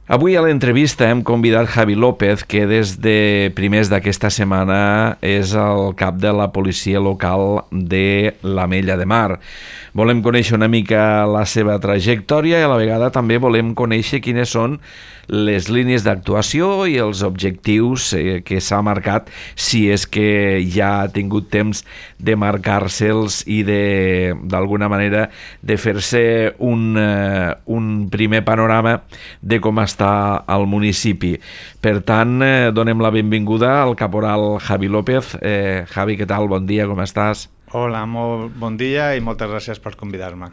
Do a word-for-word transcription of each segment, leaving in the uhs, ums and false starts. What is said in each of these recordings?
Avui a l'entrevista hem convidat Javi López, que des de primers d'aquesta setmana és el cap de la policia local de l'Ametlla de Mar. Volem conèixer una mica la seva trajectòria i a la vegada també volem conèixer quines són les línies d'actuació i els objectius eh, que s'ha marcat, si és que ja ha tingut temps de marcar-se'ls i de, d'alguna manera de fer-se un, eh, un primer panorama de com està al municipi. Per tant, eh, donem la benvinguda al caporal Javi López. Eh, Javi, què tal? Bon dia, com estàs? Hola, molt bon dia i moltes gràcies per convidar-me.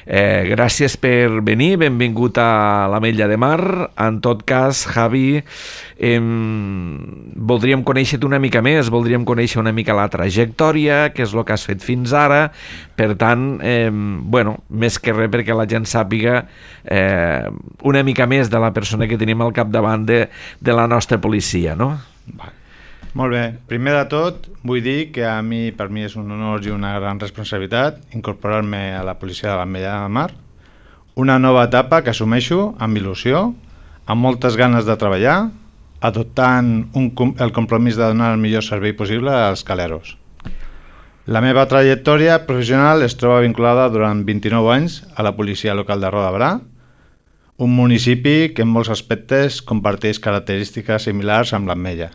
Eh, gràcies per venir, benvingut a l'Ametlla de Mar. En tot cas, Javi, eh, voldríem conèixer-te una mica més, voldríem conèixer una mica la trajectòria, què és el que has fet fins ara. Per tant, eh, bueno, més que res perquè la gent sàpiga eh, una mica més de la persona que tenim al capdavant de, de la nostra policia, no? Va. Molt bé. Primer de tot, vull dir que a mi, per mi és un honor i una gran responsabilitat incorporar-me a la policia de l'Ametlla de Mar, una nova etapa que assumeixo amb il·lusió, amb moltes ganes de treballar, adoptant un, el compromís de donar el millor servei possible als caleros. La meva trajectòria professional es troba vinculada durant vint-i-nou anys a la policia local de Roda de Berà, un municipi que en molts aspectes comparteix característiques similars amb l'Ametlla.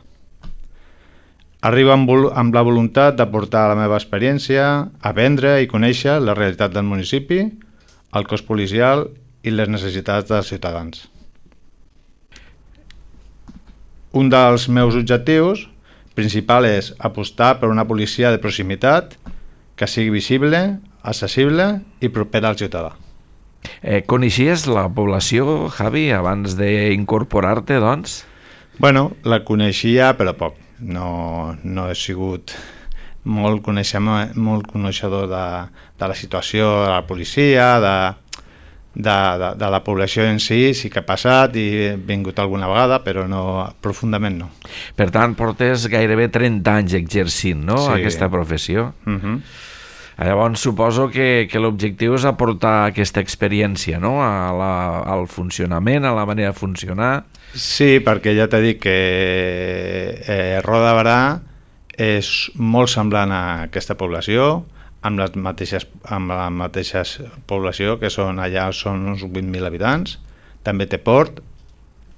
Arribo amb, amb la voluntat d'aportar la meva experiència, aprendre i conèixer la realitat del municipi, el cos policial i les necessitats dels ciutadans. Un dels meus objectius principal és apostar per una policia de proximitat que sigui visible, accessible i propera al ciutadà. Eh, coneixies la població, Javi, abans d'incorporar-te, doncs? Bueno, la coneixia, però poc. No, no he sigut molt coneixedor, molt coneixedor de, de la situació de la policia, de, de, de, de la població en si, sí que ha passat i he vingut alguna vegada, però no, profundament no. Per tant, portes gairebé trenta anys exercint, no?, sí. aquesta professió. Uh-huh. Llavors suposo que, que l'objectiu és aportar aquesta experiència, no?, a la, al funcionament, a la manera de funcionar. Sí, perquè ja t'he dit que eh, Roda de Berà és molt semblant a aquesta població, amb les mateixes, amb la mateixa població, que són allà són uns vuit mil habitants. També té port,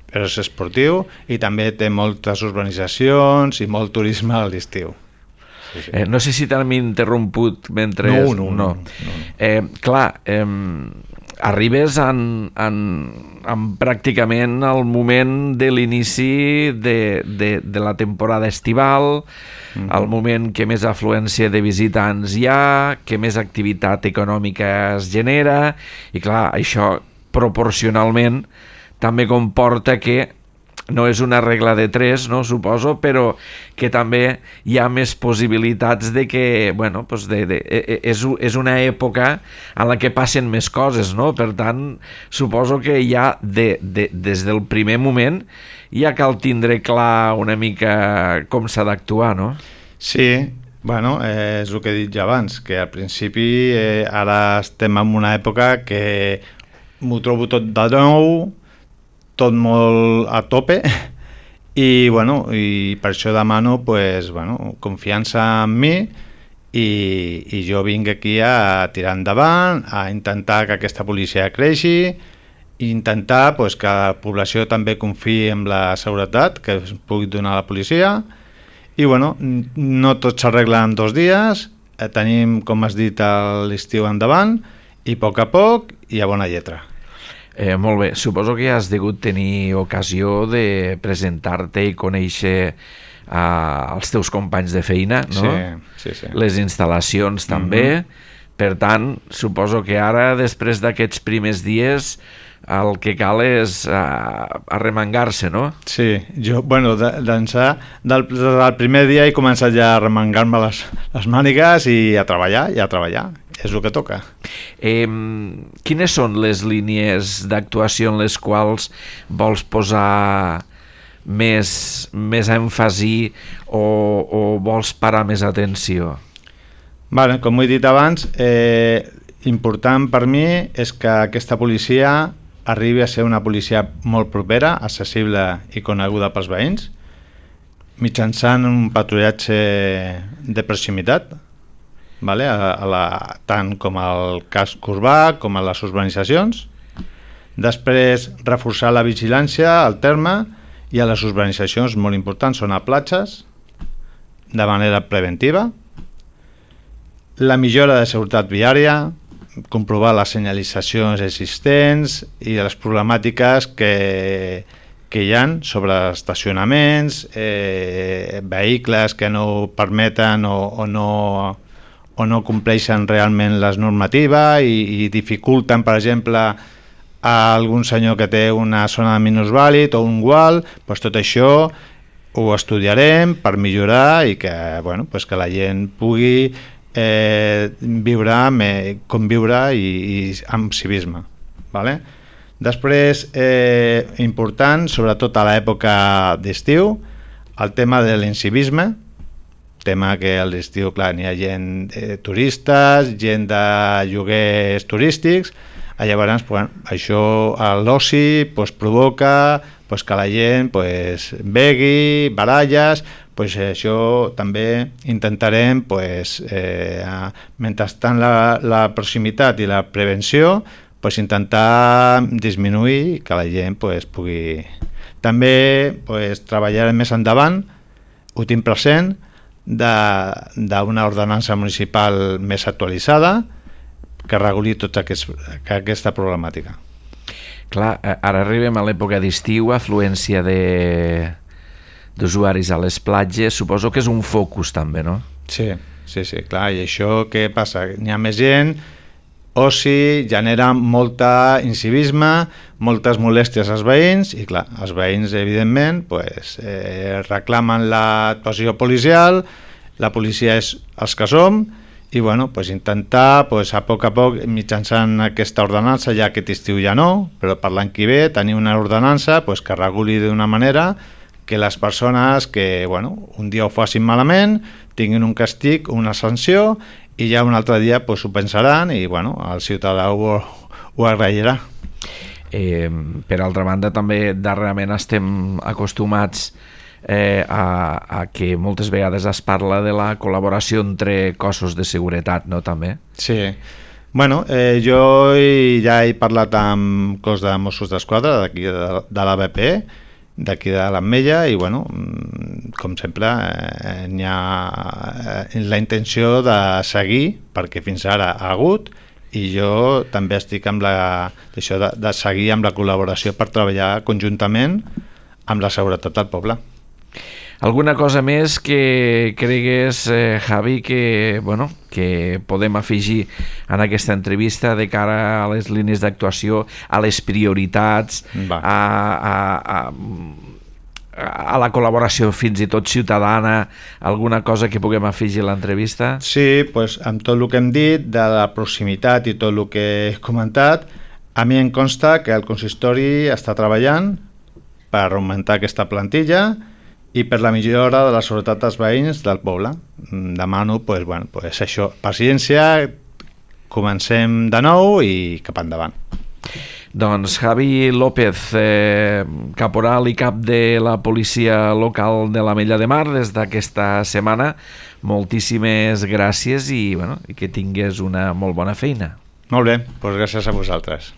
però és esportiu, i també té moltes urbanitzacions i molt turisme a l'estiu. Sí, sí. Eh, no sé si t'han interromput mentre... No, no, no. no, no. Eh, clar, eh, arribes en, en, en pràcticament el moment de l'inici de, de, de la temporada estival, mm-hmm. el moment que més afluència de visitants hi ha, que més activitat econòmica es genera, i clar, això proporcionalment també comporta que no és una regla de tres, no, suposo, però que també hi ha més possibilitats de que, bueno, pues de, de, és, és una època en la que passen més coses, no? Per tant, suposo que ja de, de, des del primer moment ja cal tindre clar una mica com s'ha d'actuar, no? Sí, bueno, eh, és el que he dit ja abans, que al principi eh, ara estem en una època que m'ho trobo tot de nou, tot molt a tope i, bueno, i per això demano pues, bueno, confiança en mi i, i jo vinc aquí a tirar endavant, a intentar que aquesta policia creixi i intentar pues, que la població també confiï en la seguretat que es pugui donar a la policia i bueno, no tot s'arregla en dos dies, eh, tenim, com has dit, l'estiu endavant i a poc a poc i a bona lletra. Eh, molt bé, suposo que has degut tenir ocasió de presentar-te i conèixer uh, els teus companys de feina, no? Sí, sí, sí. Les instal·lacions també, mm-hmm. Per tant, suposo que ara, després d'aquests primers dies, el que cal és uh, arremangar-se, no? Sí, jo, bueno, d'ençà del, del primer dia he començat ja a arremangar-me les, les mànigues i a treballar, i a treballar. És el que toca. Eh, quines són les línies d'actuació en les quals vols posar més, més èmfasi o, o vols parar més atenció? Vale, com ho he dit abans, eh, important per mi és que aquesta policia arribi a ser una policia molt propera, accessible i coneguda pels veïns, mitjançant un patrullatge de proximitat, vale? a, a la, tant com al casc urbà com a les urbanitzacions. Després, reforçar la vigilància al terme i a les urbanitzacions, molt importants, són a platges, de manera preventiva. La millora de seguretat viària, comprovar les senyalitzacions existents i les problemàtiques que, que hi ha sobre estacionaments, eh, vehicles que no permeten o, o, no, o no compleixen realment les normatives i, i dificulten, per exemple, a algun senyor que té una zona de minusvàlid o un gual, doncs tot això ho estudiarem per millorar i que, bueno, pues que la gent pugui eh, viure, me, conviure i, i amb civisme. Vale? Després, eh, important, sobretot a l'època d'estiu, el tema de l'incivisme, tema que a l'estiu, clar, n'hi ha gent eh, turistes, gent de lloguers turístics. Llavors, bueno, això a l'oci pues, provoca pues, que la gent pues, begui, baralles, pues, això també intentarem, pues, eh, mentrestant la, la proximitat i la prevenció, pues, intentar disminuir que la gent pues, pugui... També pues, treballar més endavant, ho tinc present, d'una ordenança municipal més actualitzada, que reguli tota aquest, aquesta problemàtica. Clar, ara arribem a l'època d'estiu, afluència d'usuaris a les platges, suposo que és un focus també, no? Sí, sí, sí, clar, i això què passa? N'hi ha més gent, oci, genera molta incivisme, moltes molèsties als veïns, i clar, els veïns, evidentment, pues, eh, reclamen l'actuació policial, la policia és els que som, i bueno, pues intentar pues, a poc a poc, mitjançant aquesta ordenança, ja aquest estiu ja no, però per l'any que ve tenir una ordenança pues, que reguli d'una manera que les persones que bueno, un dia ho facin malament tinguin un castig, una sanció, i ja un altre dia pues, ho pensaran i bueno, el ciutadà ho, ho agrairà. Eh, per altra banda, també darrerament estem acostumats Eh, a, a que moltes vegades es parla de la col·laboració entre cossos de seguretat, no, també? Sí. Bueno, eh, jo ja he parlat amb cos de Mossos d'Esquadra d'aquí de, de l'A B P, d'aquí de l'Ametlla, i bueno, com sempre, eh, n'hi ha eh, la intenció de seguir, perquè fins ara ha hagut, i jo també estic amb la, això de, de seguir amb la col·laboració per treballar conjuntament amb la seguretat del poble. Alguna cosa més que cregues, eh, Javi, que, bueno, que podem afegir en aquesta entrevista de cara a les línies d'actuació, a les prioritats, a, a, a, a la col·laboració fins i tot ciutadana, alguna cosa que puguem afegir a l'entrevista? Sí, pues, amb tot el que hem dit, de la proximitat i tot el que he comentat, a mi em consta que el consistori està treballant per augmentar aquesta plantilla i per la millora de la seguretat dels veïns del poble. Demano, pues, bueno, pues això, paciència, comencem de nou i cap endavant. Doncs Javi López, eh, caporal i cap de la policia local de l'Ametlla de Mar des d'aquesta setmana, moltíssimes gràcies i, bueno, i que tingues una molt bona feina. Molt bé, doncs gràcies a vosaltres.